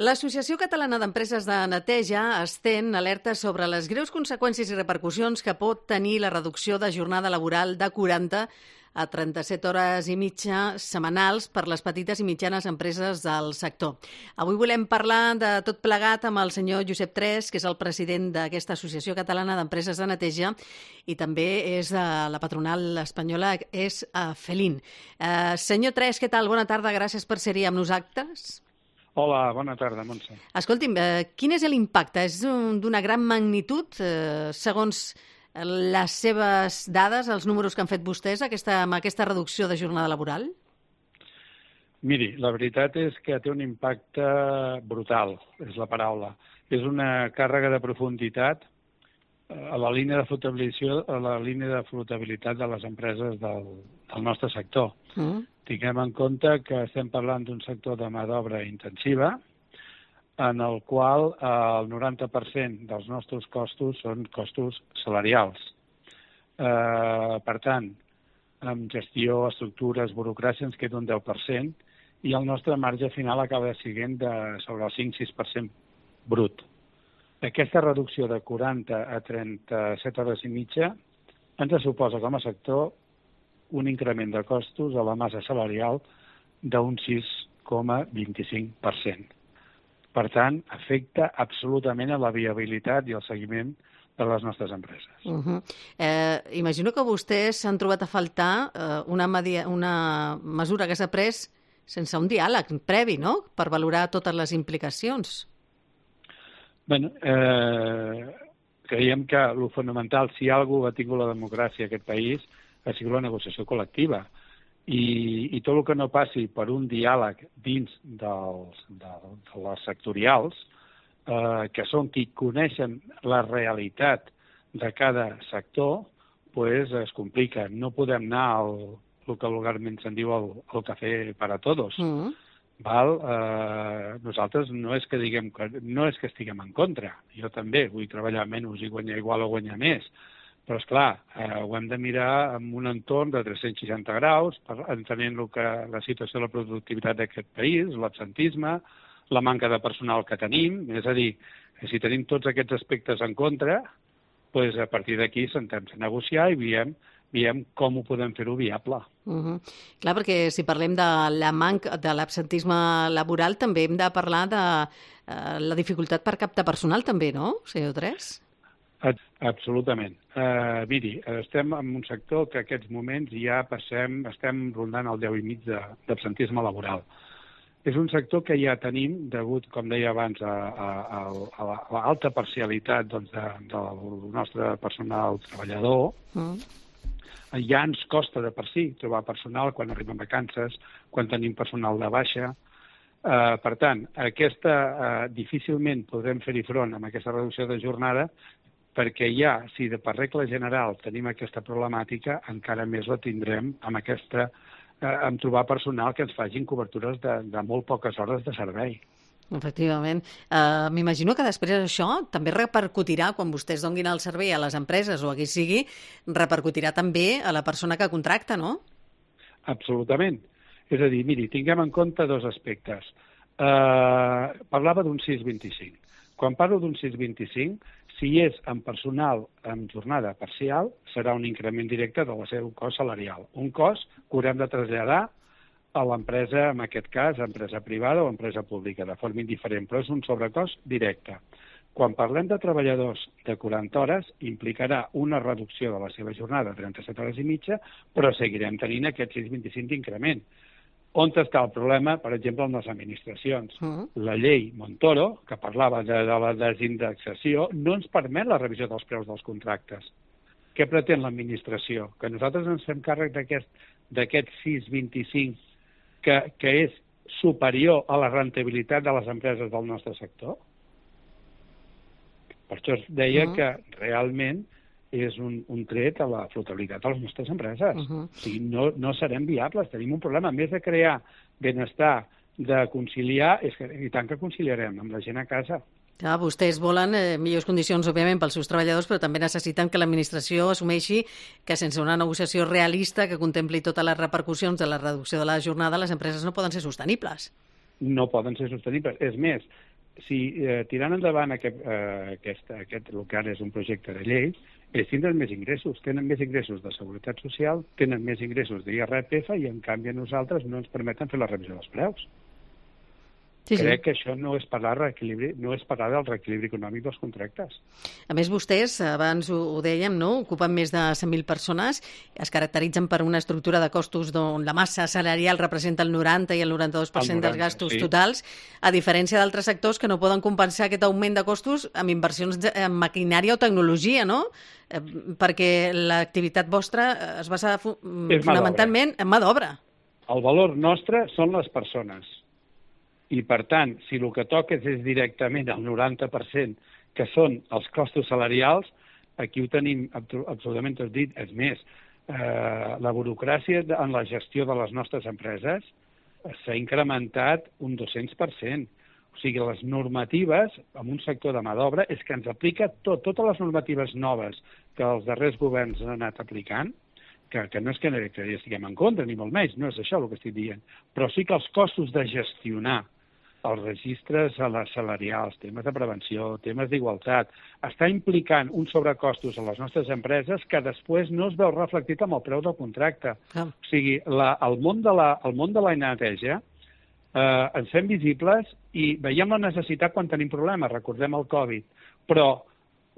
L'Associació Catalana d'Empreses de Neteja estén alerta sobre les greus conseqüències i repercussions que pot tenir la reducció de jornada laboral de 40 a 37 hores i mitja setmanals per les petites i mitjanes empreses del sector. Avui volem parlar de tot plegat amb el senyor Josep Tres, que és el president d'aquesta Associació Catalana d'Empreses de Neteja i també és de la patronal espanyola, és Felin. Senyor Tres, què tal? Bona tarda, gràcies per ser-hi amb nosaltres. Hola, bona tarda, Montse. Escolti'm, quin és l'impacte? És d'una gran magnitud, segons les seves dades, els números que han fet vostès amb aquesta reducció de jornada laboral? Miri, la veritat és que té un impacte brutal, és la paraula. És una càrrega de profunditat a la línia de flotabilitat de les empreses del nostre sector. Tinguem en compte que estem parlant d'un sector de mà d'obra intensiva, en el qual el 90% dels nostres costos són costos salarials. Per tant, amb gestió, estructures, burocràcia ens queda un 10% i el nostre marge final acaba sent sobre el 5-6% brut. Aquesta reducció de 40 a 37 hores i mitja ens suposa com a sector un increment de costos a la massa salarial d'un 6,25%. Per tant, afecta absolutament a la viabilitat i el seguiment de les nostres empreses. Imagino que vostès s'han trobat a faltar una mesura que s'ha pres sense un diàleg previ, no?, per valorar totes les implicacions. Bé, creiem que el fonamental, si alguna cosa ha tingut la democràcia a aquest país, ha sigut la negociació col·lectiva. I tot el que no passi per un diàleg dins de les sectorials, que són qui coneixen la realitat de cada sector, doncs es complica. No podem anar al que vulgarment se'n diu el café para todos. Nosaltres no és que estiguem en contra. Jo també vull treballar menys i guanyar igual o guanyar més. Però, esclar, ho hem de mirar en un entorn de 360 graus, entenent la situació de la productivitat d'aquest país, l'absentisme, la manca de personal que tenim. És a dir, si tenim tots aquests aspectes en contra, doncs a partir d'aquí sentem a negociar i veiem com ho podem fer-ho viable. Clar, perquè si parlem de l'absentisme laboral, també hem de parlar de la dificultat per captar personal, també, no, senyor Tres? Absolutament. Miri, estem en un sector que en aquests moments ja estem rondant el 10,5 d'absentisme laboral. És un sector que ja tenim, degut, com deia abans, a l'alta parcialitat del nostre personal treballador. Ja ens costa de per si trobar personal quan arribem a vacances, quan tenim personal de baixa. Per tant, difícilment podrem fer-hi front amb aquesta reducció de jornada, perquè ja, si per regla general tenim aquesta problemàtica, encara més la tindrem amb trobar personal que ens facin cobertures de molt poques hores de servei. Efectivament. M'imagino que després això també repercutirà, quan vostès donin el servei a les empreses o a qui sigui, repercutirà també a la persona que contracta, no? Absolutament. És a dir, miri, tinguem en compte dos aspectes. Parlava d'un 6,25. Quan parlo d'un 6,25, si és en personal amb jornada parcial, serà un increment directe del seu cost salarial. Un cost que haurem de traslladar a l'empresa, en aquest cas, empresa privada o empresa pública, de forma indiferent, però és un sobrecost directe. Quan parlem de treballadors de 40 hores, implicarà una reducció de la seva jornada a 37 hores i mitja, però seguirem tenint aquest 6,25 d'increment. On està el problema, per exemple, en les administracions? La llei Montoro, que parlava de la desindexació, no ens permet la revisió dels preus dels contractes. Què pretén l'administració? Que nosaltres ens fem càrrec d'aquest 6,25 que és superior a la rendibilitat de les empreses del nostre sector? Per això es deia que realment és un tret a la flotabilitat de les nostres empreses. O sigui, no serem viables, tenim un problema. A més de crear benestar, de conciliar, i tant que conciliarem amb la gent a casa. Clar, vostès volen millors condicions, òbviament, pels seus treballadors, però també necessiten que l'administració assumeixi que sense una negociació realista que contempli totes les repercussions de la reducció de la jornada, les empreses no poden ser sostenibles. No poden ser sostenibles. És més, tirant endavant el que ara és un projecte de llei, ells tindran més ingressos, tenen més ingressos de Seguretat Social, tenen més ingressos d'IRPF i, en canvi, a nosaltres no ens permeten fer la revisió dels preus. Crec que això no és parlar del reequilibri econòmic dels contractes. A més, vostès, abans ho dèiem, no? Ocupen més de 100.000 persones, es caracteritzen per una estructura de costos on la massa salarial representa el 90 i el 92% dels gastos totals, a diferència d'altres sectors que no poden compensar aquest augment de costos amb inversions en maquinària o tecnologia, no? Perquè l'activitat vostra es basa fonamentalment en mà d'obra. El valor nostre són les persones. I, per tant, si el que toques és directament el 90%, que són els costos salarials, aquí ho tenim absolutament tot dit. És més, la burocràcia en la gestió de les nostres empreses s'ha incrementat un 200%. O sigui, les normatives, en un sector de mà d'obra, és que ens aplica totes les normatives noves que els darrers governs han anat aplicant, que no és que hi estiguem en contra, ni molt menys, no és això el que estic dient, però sí que els costos de gestionar els registres salarials, temes de prevenció, temes d'igualtat, està implicant uns sobrecostos a les nostres empreses que després no es veu reflectit amb el preu del contracte. O sigui, el món de la neteja ens fem visibles i veiem la necessitat quan tenim problemes, recordem el Covid, però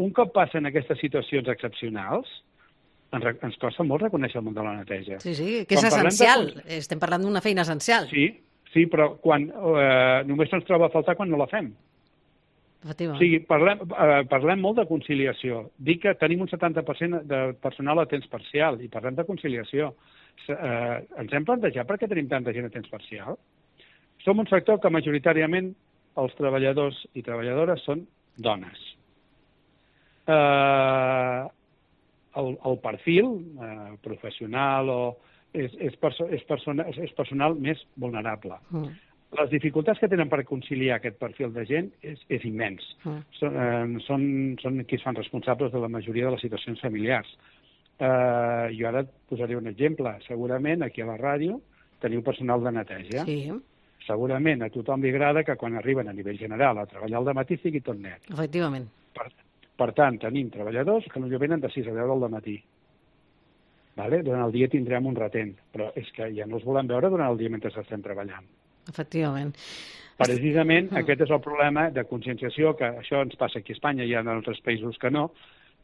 un cop passen aquestes situacions excepcionals, ens costa molt reconèixer el món de la neteja. Sí, que és essencial. Estem parlant d'una feina essencial. Sí, però només se'ns troba a faltar quan no la fem. O sigui, parlem molt de conciliació. Dic que tenim un 70% de personal a temps parcial i parlem de conciliació. Ens hem plantejat per què tenim tanta gent a temps parcial? Som un sector que majoritàriament els treballadors i treballadores són dones. El perfil professional és personal més vulnerable. Les dificultats que tenen per conciliar aquest perfil de gent és immens. Són qui es fan responsables de la majoria de les situacions familiars. Jo ara et posaré un exemple. Segurament aquí a la ràdio teniu personal de neteja. Segurament a tothom li agrada que quan arriben a nivell general a treballar al dematí sigui tot net. Efectivament. Per tant, tenim treballadors que potser venen de 6 a 10 del matí. Durant el dia tindrem un retent, però és que ja no els volem veure durant el dia mentre estem treballant. Efectivament. Precisament aquest és el problema de conscienciació, que això ens passa aquí a Espanya, hi ha altres països que no,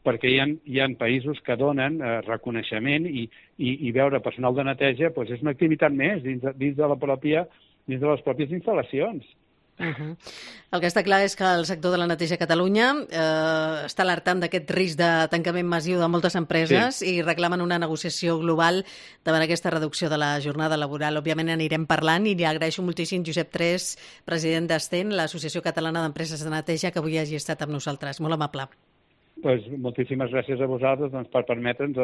perquè hi ha països que donen reconeixement i veure personal de neteja és una activitat més dins de les pròpies instal·lacions. El que està clar és que el sector de la neteja a Catalunya està alertant d'aquest risc de tancament massiu de moltes empreses i reclamen una negociació global davant aquesta reducció de la jornada laboral. Òbviament anirem parlant i li agraeixo moltíssim Josep Tres, president d'Sten, l'Associació Catalana d'Empreses de Neteja, que avui hagi estat amb nosaltres. Molt amable. Moltíssimes gràcies a vosaltres per permetre'ns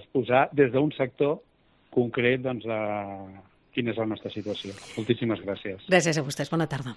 exposar des d'un sector concret quina és la nostra situació. Moltíssimes gràcies. Gràcies a vostès. Bona tarda.